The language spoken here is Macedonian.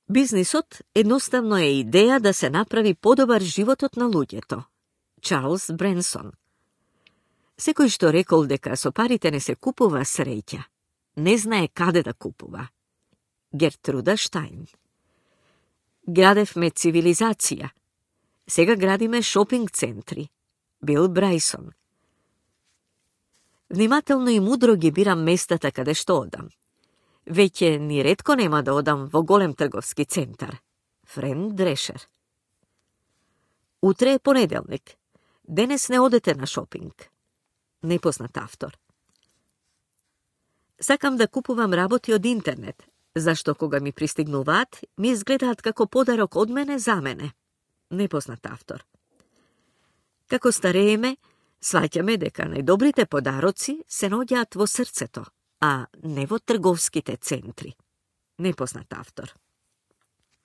Бизнисот едноставно е идеја да се направи подобар животот на луѓето. Чарлс Бренсон. Секој што рекол дека со парите не се купува среќа, не знае каде да купува. Гертруда Штајн. Градевме цивилизација. Сега градиме шопинг центри. Бил Брајсон. Внимателно и мудро ги бирам местата каде што одам. Веќе ни ретко нема да одам во голем трговски центар. Френ Дрешер. Утре е понеделник. Денес не одете на шопинг. Непознат автор. Сакам да купувам работи од интернет, зашто кога ми пристигнуваат, ми изгледаат како подарок од мене за мене. Непознат автор. Како старееме, сваќаме дека најдобрите подароци се наоѓаат во срцето, а не во трговските центри. Непознат автор.